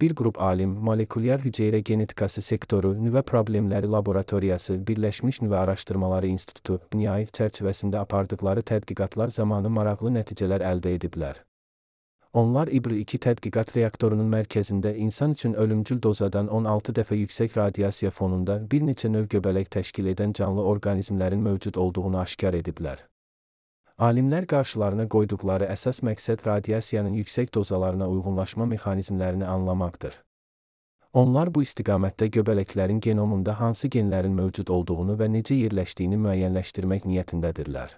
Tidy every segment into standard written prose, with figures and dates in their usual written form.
Bir qrup alim, molekulyar hüceyrə genetikası sektoru, nüvə problemləri laboratoriyası, Birləşmiş Nüvə Araşdırmaları İnstitutu, NIAI çərçivəsində apardıqları tədqiqatlar zamanı maraqlı nəticələr əldə ediblər. Onlar İBR-2 tədqiqat reaktorunun mərkəzində insan üçün ölümcül dozadan 16 dəfə yüksək radiasiya fonunda bir neçə növ göbələk təşkil edən canlı orqanizmlərin mövcud olduğunu aşkar ediblər. Alimlər qarşılarına qoyduqları əsas məqsəd radiasiyanın yüksək dozalarına uyğunlaşma mexanizmlərini anlamaqdır. Onlar bu istiqamətdə göbələklərin genomunda hansı genlərin mövcud olduğunu və necə yerləşdiyini müəyyənləşdirmək niyyətindədirlər.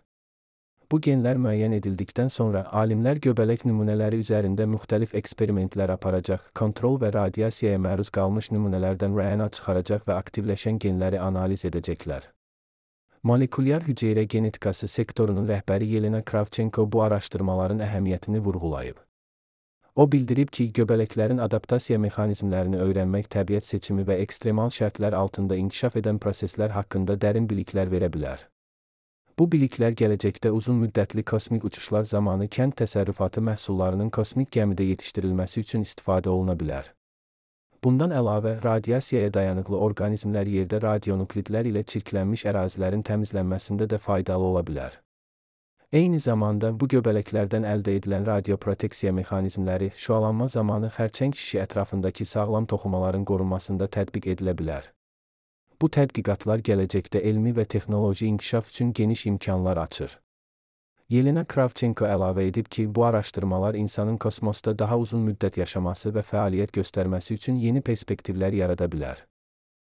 Bu genlər müəyyən edildikdən sonra alimlər göbələk nümunələri üzərində müxtəlif eksperimentlər aparacaq, kontrol və radiasiyaya məruz qalmış nümunələrdən RNA çıxaracaq və aktivləşən genləri analiz edəcəklər. Molekulyar hüceyrə genetikası sektorunun rəhbəri Yelena Kravchenko bu araşdırmaların əhəmiyyətini vurğulayıb. O bildirib ki, göbələklərin adaptasiya mexanizmlərini öyrənmək təbiət seçimi və ekstremal şərtlər altında inkişaf edən proseslər haqqında dərin biliklər verə bilər. Bu biliklər gələcəkdə uzun müddətli kosmik uçuşlar zamanı kənd təsərrüfatı məhsullarının kosmik gəmidə yetişdirilməsi üçün istifadə oluna bilər. Bundan əlavə, radiasiyaya dayanıqlı orqanizmlər yerdə radionuklidlər ilə çirklənmiş ərazilərin təmizlənməsində də faydalı ola bilər. Eyni zamanda, bu göbələklərdən əldə edilən radioproteksiya mexanizmləri şüalanma zamanı xərçəng şişi ətrafındakı sağlam toxumaların qorunmasında tətbiq edilə bilər. Bu tədqiqatlar gələcəkdə elmi və texnoloji inkişaf üçün geniş imkanlar açır. Yelena Kravchenko əlavə edib ki, bu araşdırmalar insanın kosmosda daha uzun müddət yaşaması və fəaliyyət göstərməsi üçün yeni perspektivlər yarada bilər.